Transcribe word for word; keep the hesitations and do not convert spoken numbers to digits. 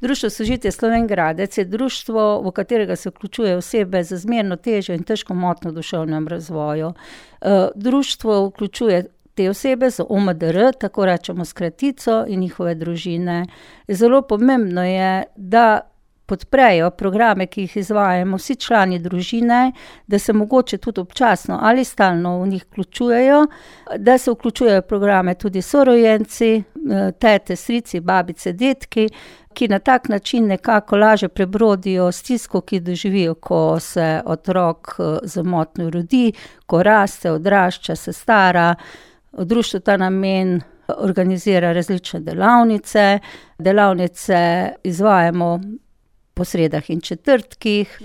Društvo Sožitje Slovenj Gradec je društvo, v katerega se vključuje osebe z zmerno težjo in težko motnjo v duševnem razvoju. Društvo vključuje te osebe z O M D R, tako rečemo skratico, in njihove družine. Zelo pomembno je, da podprejo programe, ki jih izvajamo vsi člani družine, da se mogoče tudi občasno ali stalno v njih vključujejo, da se vključujejo v programe tudi sorojenci, tete, strici, babice, dedki, ki na tak način nekako lažje prebrodijo stisko, ki doživijo, ko se otrok z motnjo rodi, ko raste, odrašča, se stara. Društvo ta namen organizira različne delavnice. Delavnice izvajamo po sredah in četrtkih.